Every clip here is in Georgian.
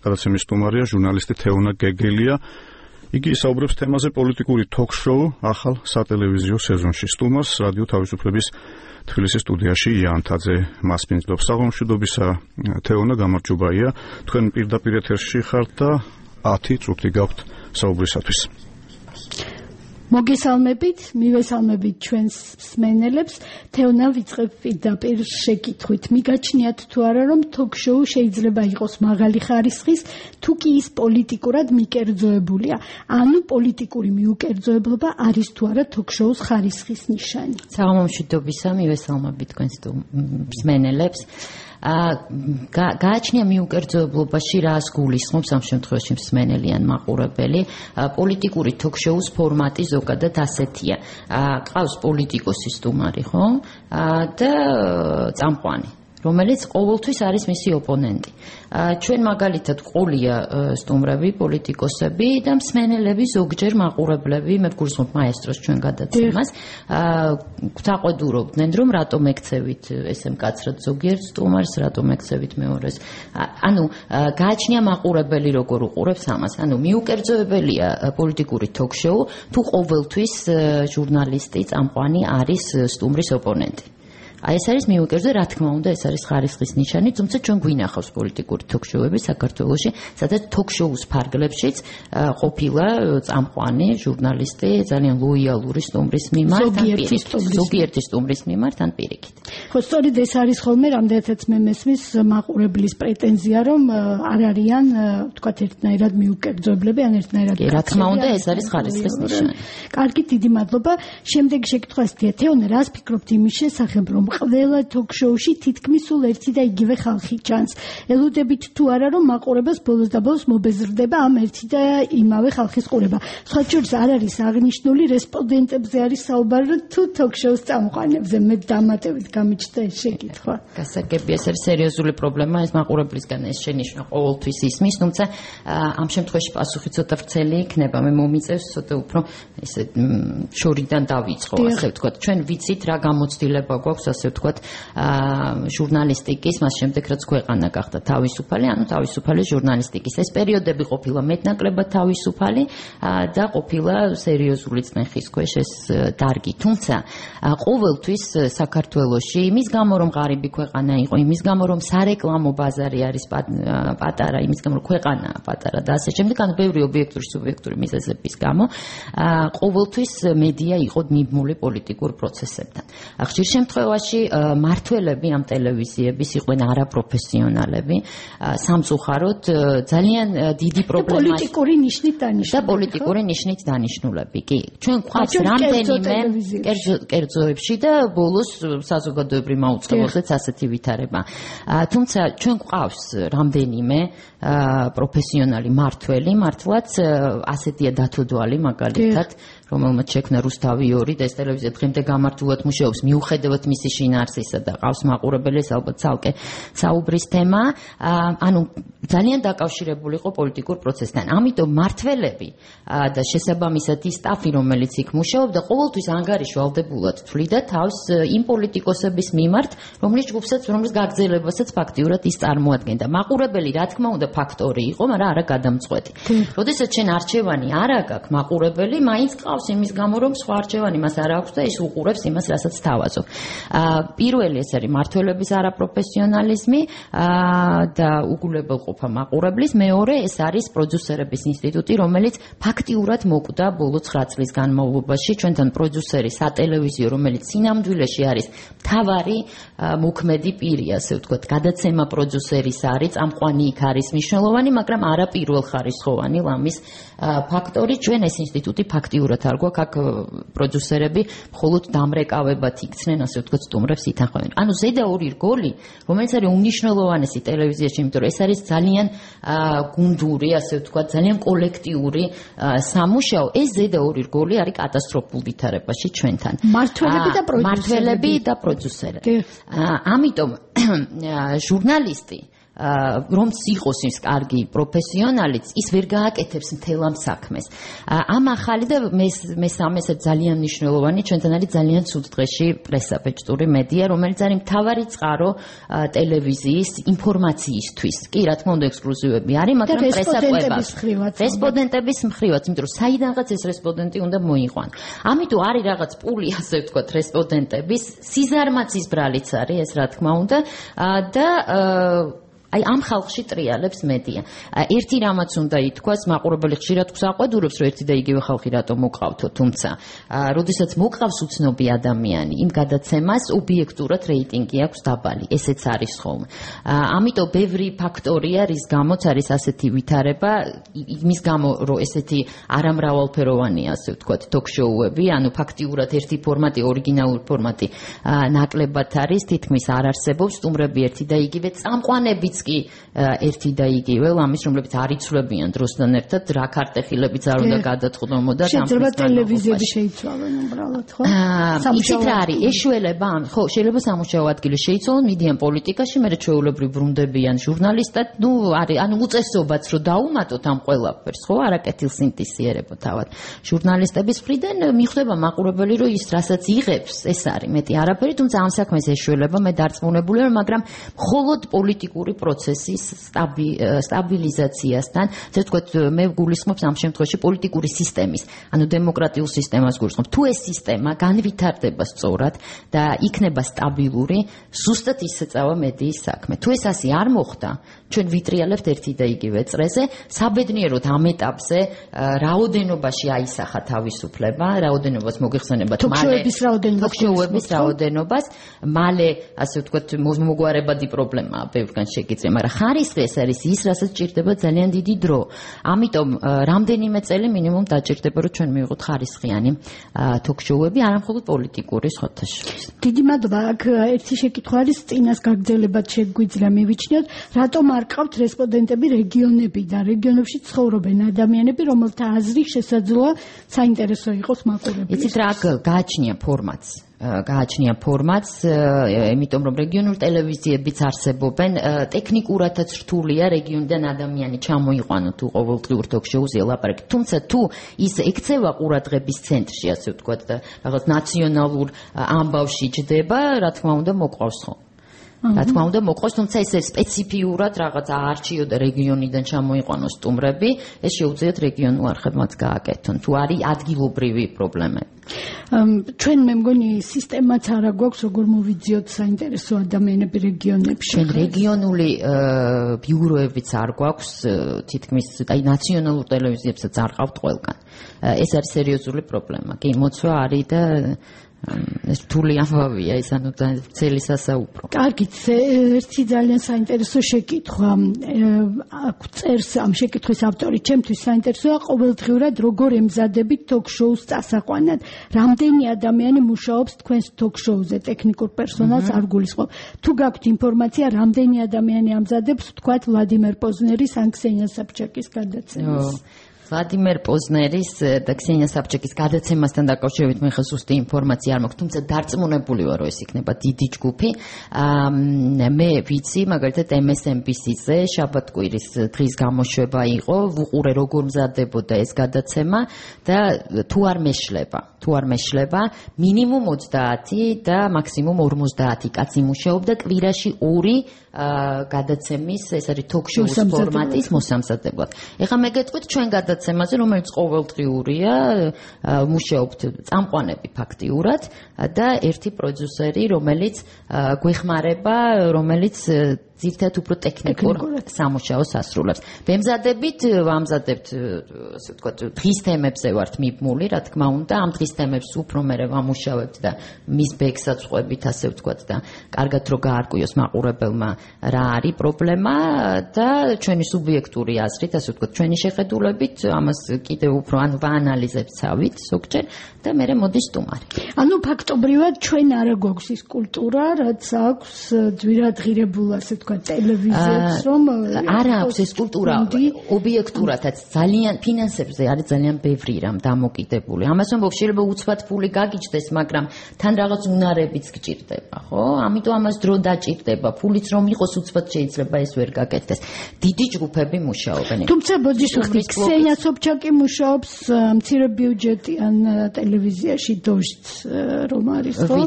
გადაცემის სტუმარია ჟურნალისტი თეონა გეგელია. იგი საუბრობს თემაზე პოლიტიკური ток-შოუ ახალ სატელევიზიო სეზონში. სტუმარს რადიო თავისუფლების თბილისის სტუდიაში იანთაძე მასპინძლობს. საღამომშვიდობისა თეონა, გამარჯობაია. თქვენ პირდაპირ ეთერში ხართ და 10 წუთი გაქვთ საუბრისათვის. მოგესალმებით, მივესალმებით ჩვენს მსმენელებს. თეონა ვიწყებ პირდაპირ შეკითხვით. მიგაჩნიათ თუ არა, რომ ток-შოუ შეიძლება იყოს მაღალი ხარისხის, თუ კი ის პოლიტიკურად მიკერძოებულია? ანუ პოლიტიკური მიუკერძოებლობა არის თუ არა ток-შოუს ხარისხის ნიშანი? საღამომშვიდობისა, მივესალმებით თქვენს მსმენელებს. გააჩნია მიუკერძოებლობაში რას გულისხმობს ამ შემთხვევაში მსმენელი ან მაყურებელი. პოლიტიკური ток-შოუს ფორმატი ზოგადად ასეთია. ყავს პოლიტიკოსი სტუმარი, ხო? და წამყვანი, რომელიც ყოველთვის არის მისი ოპონენტი. ჩვენ მაგალითად ყოლია სტუმრები, პოლიტიკოსები და მსმენელები, ზოგჯერ მაყურებლები, მე ვგულისხმობ მაესტროს ჩვენ გადაცემას, გვთაყვედურობდნენ, რომ რატომ ეკცევით ესე მკაცრად ზოგიერთ სტუმარს, რატომ ეკცევით მეორეს. ანუ გააჩნია მაყურებელი როგორ უყურებს ამას. ანუ მიუკერძოებელია პოლიტიკური ток-შოუ, თუ ყოველთვის ჟურნალისტი, წამყვანი არის სტუმრის ოპონენტი. აი ეს არის მიუკერძო, რა თქმა უნდა, ეს არის ხარისხის ნიშანი, თუმცა ჩვენ გვინახავს პოლიტიკური ток-შოუები საქართველოში, სადაც ток-შოუს ფარგლებშიც ყოფილა წამყვანი ჟურნალისტი ძალიან ლოიალური სტუმრის მიმართ, ზოგიერთი სტუმრის მიმართ ან პირიქით. ხო, სწორედ ეს არის ხოლმე, რამდენადაც მე მესმის მაყურებლის პრეტენზია, რომ არ არიან, თქვათ, ერთნაირად მიუკერძოებლები, ან ერთნაირად. რა თქმა უნდა, ეს არის ხარისხის ნიშანი. კარგი, დიდი მადლობა. შემდეგი შეკითხვა ასეთია, თეონა, რას ფიქრობთ იმის შესახებ, რომ ყველა ток-შოუში თითქმის სულ ერთი და იგივე ხალხი ჩანს. ელოდებით თუ არა, რომ მაყურებელს ბოლოს და ბოლოს მობეზრდება ამ ერთი და იმავე ხალხის ყურება. სხვა შორის არ არის აღნიშნული რესპონდენტებზე არის საუბარი, თუ ток-შოუს წამყვანებზე. მე დამატებით გამიჩნდა ეს შეკითხვა. გასაგებია, ეს არის სერიოზული პრობლემა, ეს მაყურებლისგან ეს შენიშვნა ყოველთვის ისმის, თუმცა ამ შემთხვევაში პასუხი ცოტა ვრცელი იქნება. მე მომიწევს ცოტა უფრო ესე შორიდან დავიწყო, ასე ვთქვათ. ჩვენ ვიცით რა გამოცდილება გვაქვს, ასე ვთქვათ, ჟურნალისტიკის, მას შემდეგ რაც ქვეყანა გახდა თავისუფალი, ანუ თავისუფალი ჟურნალისტიკის. ეს პერიოდები ყოფილა მეტნაკლებად თავისუფალი და ყოფილა სერიოზული წნეხის ქვეშ ეს დარგი. თუმცა ყოველთვის საქართველოში, იმის გამო რომ ღარიბი ქვეყანა იყო, იმის გამო რომ სარეკლამო ბაზარი არის პატარა, იმის გამო რომ ქვეყანაა პატარა და ასე შემდეგ, ანუ ბევრი ობიექტური, სუბიექტური მიზეზების გამო, ყოველთვის მედია იყო მიბმული პოლიტიკურ პროცესებთან. ხშირ შემთხვევაში მართველები ამ ტელევიზიების იყვნენ არაპროფესიონალები, სამწუხაროდ ძალიან დიდი პრობლემა პოლიტიკური ნიშნით დანიშნულები. და პოლიტიკური ნიშნით დანიშნულები. კი, ჩვენ გვყავს რამდენიმე კერძოებში და ბოლოს საზოგადოებრივ მაუწყებლობზეც ასეთი ვითარება. თუმცა ჩვენ გვყავს რამდენიმე პროფესიონალი მართველი, მართლაც ასეთია დათოდვალი მაგალითად, რომელმაც შექმნა რუსთავი 2 და ეს ტელევიზია დღემდე გამართულად მუშაობს მიუხედავად მისი შინაარსისა და ყავს მაყურებელი, ეს ალბათ ცალკე საუბრის თემა. ანუ ძალიან დაკავშირებული იყო პოლიტიკურ პროცესთან. ამიტომ მართველები და შესაბამისად ის სტაფი, რომელიც იქ მუშაობდა, ყოველთვის ანგარიშვალდებულად თვლიდა თავს იმ პოლიტიკოსების მიმართ, რომლის გაგრძელებასაც ფაქტიურად ის წარმოადგენდა. მაყურებელი, რა თქმა უნდა, ფაქტორი იყო, მაგრამ არა გადამწყვეტი. როდესაც შენ არჩევანი არ აქვს მაყურებელი, მაინც ყავს იმის გამო, რომ სხვა არჩევანი მას არ აქვს და ის უყურებს იმას, რასაც თავაზობ. პირველი ეს არის მართველების არაპროფესიონალიზმი და უგულებელყოფა მაყურებლის. მეორე ეს არის პროდიუსერების ინსტიტუტი, რომელიც ფაქტიურად მოკვდა ბოლო 9 წლის განმავლობაში. ჩვენთან პროდიუსერი სატელევიზიო, რომელიც სინამდვილეში არის მთავარი მოქმედი პირი, ასე ვთქვათ, გადაცემა პროდიუსერის არის, წამყვანი იქ არის მნიშვნელოვანი, მაგრამ არა პირველხარისხოვანი ლამის ფაქტორი. ჩვენ ეს ინსტიტუტი ფაქტიურად არ გვაქვს, აქ პროდიუსერები მხოლოდ დამრეკავებად იქცნენ, ასე ვთქვათ, სტუმრებს ითანხმებენ. ანუ ზედა ორი რგოლი, რომელიც არის უმნიშვნელოვანესი ტელევიზიაში, იმიტომ რომ ეს არის ძალიან გუნდური, ასე ვთქვათ, ძალიან კოლექტიური სამუშაო. ეს ზედა ორი რგოლი არის კატასტროფულ ვითარებაში ჩვენთან. მართველები და პროდიუსერები. ამიტომ ჟურნალისტი რომც იყოს ის კარგი პროფესიონალიც, ის ვერ გააკეთებს მთელ ამ საქმეს. ამ ახალი და მესამე ძალიან მნიშვნელოვანი ჩვენთან არის ძალიან ცუდ დღეში პრესაბეჭდური მედია, რომელიც არის მთავარი წყარო ტელევიზიის ინფორმაციისთვის. კი, რა თქმა უნდა, ექსკლუზივები არის, მაგრამ რესპონდენტების მხრივაც, იმიტომ რომ საიდანღაც ეს რესპონდენტი უნდა მოიყვან. ამიტომ არის რაღაც პული, ასე ვთქვათ, რესპონდენტების, სიზარმაცის ბრალიც არის ეს, რა თქმა უნდა, და აი ამ ხალხში ტრიალებს მედია. ერთი რამაც უნდა ითქვას, მაყურებელი ხშირად გვსაყვედურობს, რომ ერთი და იგივე ხალხი რატომ მოყავთო, თუმცა როდესაც მოყავს უცნობი ადამიანი, იმ გადაცემას ობიექტურად რეიტინგი აქვს დაბალი, ესეც არის ხოლმე. ამიტომ ბევრი ფაქტორია, რის გამოც არის ასეთი ვითარება, იმის გამო, რომ ესეთი არამრავალფეროვანია, ასე ვთქვათ, ток-შოუები, ანუ ფაქტიურად ერთი ფორმატი, ორიგინალური ფორმატი ნაკლებად არის, თითქმის არ არსებობს, სტუმრები ერთი და იგივე, წამყვანებიც კი ერთი და იგივე, ამის რომლებიც არ იცვლებიან დროსთან ერთად, რა ქარტეხილებიც არ უნდა გადაწყდომოდა შეიძლება ტელევიზიები შეიცვალონ უბრალოდ, ხო? იცით რა არის, ეშველება, ხო, შეიძლება სამუშაო ადგილი შეიცვალონ, მიდიან პოლიტიკაში, მერე ჩვეულებრივ ბრუნდებიან ჟურნალისტად, ანუ უწესობაც რომ დაუმატოთ ამ ყველაფერს, ხო, არაკეთილ სინთეზიერებო თავად. ჟურნალისტების მხრიდან მიხვდება მაყურებელი, რომ ის რასაც იღებს, ეს არის მეტი არაფერი, თუმცა ამ საქმეს ეშველება, მე დარწმუნებული ვარ, მაგრამ მხოლოდ პოლიტიკური პროცესის სტაბილიზაციასთან, ასე ვთქვათ, მე გულისხმობს ამ შემთხვევაში პოლიტიკური სისტემის, ანუ დემოკრატიულ სისტემას გულისხმობ. თუ ეს სისტემა განვითარდება სწორად და იქნება სტაბილური, ზუსტად ისწავა მედიის საქმე. თუ ეს ასე არ მოხდა, ჩვენ ვიტრიალებთ ერთი და იგივე წრეზე, საბედნიეროდ ამ ეტაპზე რაოდენობაში აისახა თავისუფლება, რაოდენობას მოგეხსენებათ მალე თოქ-შოუების რაოდენობას, მალე, ასე ვთქვათ, მოგვარებადი პრობლემაა ბევრგან შეგიძლია, მაგრამ ხარისხი ეს არის ის, რასაც ჭირდება ძალიან დიდი დრო. ამიტომ რამდენიმე წელი მინიმუმ დაჭირდება, რომ ჩვენ მივიღოთ ხარისხიანი თოქ-შოუები, არა მხოლოდ პოლიტიკური ხოთაშორის. დიდი მადლობა. აქ ერთი შეკითხვა არის, წინას გაგრძელებად შეგვიძლია მივიჩნიოთ, რატომ არ ყავთ რესპონდენტები რეგიონებიდან, რეგიონებში ცხოვრობენ ადამიანები, რომელთა აზრი შესაძლოა საინტერესო იყოს მაყურებლებს. იცით რა, გააჩნია ფორმატს, იმიტომ რომ რეგიონულ ტელევიზიებიც არსებობენ, ტექნიკურადაც რთულია რეგიონიდან ადამიანი ჩამოიყვანოთ თუ ყოველდღიურ თოქ-შოუზე ელაპარაკეთ. თუმცა თუ ის ექცევა ყურადღების ცენტრში, ასე ვთქვათ, და რაღაც ნაციონალურ ამბავში ჯდება, რა თქმა უნდა, მოყვავს ხოლმე. რა თქმა უნდა მოყავს, თუმცა ეს სპეციფიურად რაღაც აარჩიო და რეგიონიდან ჩამოიყვანოს სტუმრები, ეს შეუძლიათ რეგიონულ არხებმაც გააკეთონ, თუ არის ადგილობრივი პრობლემები. ჩვენ მე მგონი სისტემაც არა გვაქვს, როგორ მოვიძიოთ საინტერესო ადამიანები რეგიონებში. ჩვენ რეგიონული ბიუროებიც არ გვაქვს, თითქმის აი ნაციონალურ ტელევიზიებსაც არ ყავთ ყველგან. ეს არის სერიოზული პრობლემა. კი, მოცვა არის და ეს რთული ამბავია, ის ანუ ძელი სასაუბრო. კარგით, ერთი ძალიან საინტერესო შეკითხვა. აქ წერს ამ შეკითხვის ავტორი, ჩემთვის საინტერესოა ყოველდღიურად როგორ ემზადებით თოქ-შოუს წასაყვანად. რამდენი ადამიანი მუშაობს თქვენს თოქ-შოუზე, ტექნიკურ პერსონალს არ გულისხმობ. თუ გაქვთ ინფორმაცია, რამდენი ადამიანი ამზადებს, თქვათ, ვლადიმერ პოზნერის ან ქსენია საბჭაკის გადაცემას. ვლადიმერ პოზნერის და ქსენია საბჭაკის გადაცემასთან დაკავშირებით მე ხა ზუსტი ინფორმაცია არ მაქვს, თუმცა დარწმუნებული ვარ, რომ ეს იქნება დიდი ჯგუფი. მე ვიცი, მაგალითად MSNBC-ზე შაბათ-კვირის დღის გამოშვება იყო, ვუყურე როგორ მზადდებოდა ეს გადაცემა და თუ არ მეშლება, მინიმუმ 30 და მაქსიმუმ 50 კაცი მუშაობდა კვირაში 2 გადაცემის, ეს არის თოქ-შოუს ფორმატის მოსამზადებლად. ეხლა მე გეტყვით ჩვენ გადაცემაზე, რომელიც ყოველდღიურია, მუშაობთ წამყვანები ფაქტიურად და ერთი პროდიუსერი, რომელიც გვეხმარება, რომელიც ძირითადად უფრო ტექნიკურ სამუშაოს ასრულებს. ვამზადებთ, ასე ვთქვათ, დღის თემებზე ვართ მიბმული, რა თქმა უნდა, ამ დღის თემებს უფრო მერე ვამუშავებთ და მის ბექსაც ვყვებით, ასე ვთქვათ, და კარგად რო გაარკვიოს მაყურებელმა რა არის პრობლემა და ჩვენი სუბიექტური აზრით, ასე ვთქვათ, ჩვენი შეხედულებით, ამას კიდევ უფრო ვაანალიზებთ ცავით ზოგჯერ და მერე მოდის სტუმარი. ანუ ფაქტობრივად ჩვენ არა გვაქვს ის კულტურა, რაც აქვს ძვირადღირებულ, ასე ვთქვათ, თქვა ტელევიზიებს რომ არა აქვს ეს კულტურა ობიექტურადაც ძალიან ფინანსებზე არის ძალიან ბევრი რამ დამოკიდებული. ამას ვამბობ, შეიძლება უცბად ფული გაგიჩნდეს, მაგრამ თან რაღაც უნარებიც გჭირდება, ხო? ამიტომ ამას დრო დაჭირდება. ფულიც რომ იყოს უცბად შეიძლება ეს ვერ გაკეთდეს. დიდი ჯგუფები მუშაობენ. თუმცა ბოდიშ ვხდით, ქსენია სოფჩაკი მუშაობს მცირე ბიუჯეტიან ტელევიზიაში დოჟც რომ არის, ხო?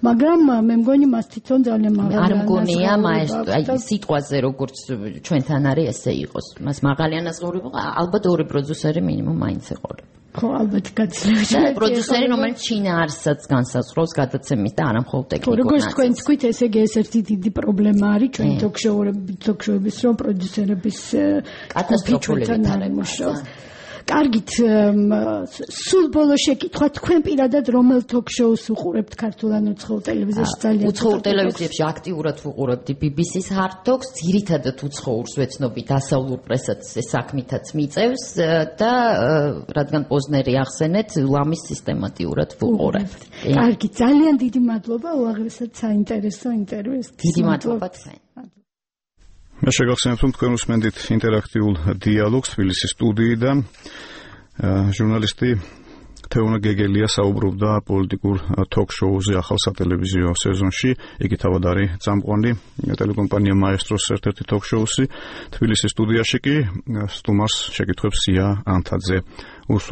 მაგრამ მე მგონი მას თვითონ ძალიან მაღალი არ მგონია მაესტრო, აი სიტყვაზე როგორც ჩვენთან არის ესე იყოს. მას მაღალი ანაზღაურება, ალბათ ორი პროდიუსერი მინიმუმ მაინც ეყოლება. ხო, ალბათ გაცილებით. პროდიუსერი, რომელიც შინაარსსაც განსაზღვრავს გადაცემის და არა მხოლოდ ტექნიკურ ნაწილს. როგორც თქვენ თქვით, ესე იგი ეს ერთი დიდი პრობლემა არის ჩვენ თოქ-შოუების, რომ პროდიუსერების კატასტროფული ვითარება. კარგით, სულ ბოლო შეკითხვა, თქვენ პირადად რომელ თოქ-შოუს უყურებთ ქართულ ან უცხოურ ტელევიზიაში ძალიან? უცხოურ ტელევიზიებში აქტიურად ვუყურებდი BBC-ს Hard Talks, ძირითადად უცხოურს ვეცნობი, დასავლურ პრესაც საქმითაც მიწევს და რადგან პოზნერი ახსენეთ, ლამის სისტემატიურად ვუყურებთ. კარგი, ძალიან დიდი მადლობა, უაღრესად საინტერესო ინტერვიუს. დიდი მადლობა თქვენ. მე შეგახსენებთ, რომ თქვენ უსმენთ ინტერაქტიულ დიალოგს თბილისის სტუდიიდან. ჟურნალისტი თეონა გეგელია საუბრობდა პოლიტიკურ თოქ-შოუზე ახალ სატელევიზიო სეზონში. იგი თავად არის წამყვანი ტელეკომპანია მაესტროს ერთ-ერთი თოქ-შოუსი. თბილისის სტუდიაში კი სტუმარს შეკითხვებს სია ანთაძე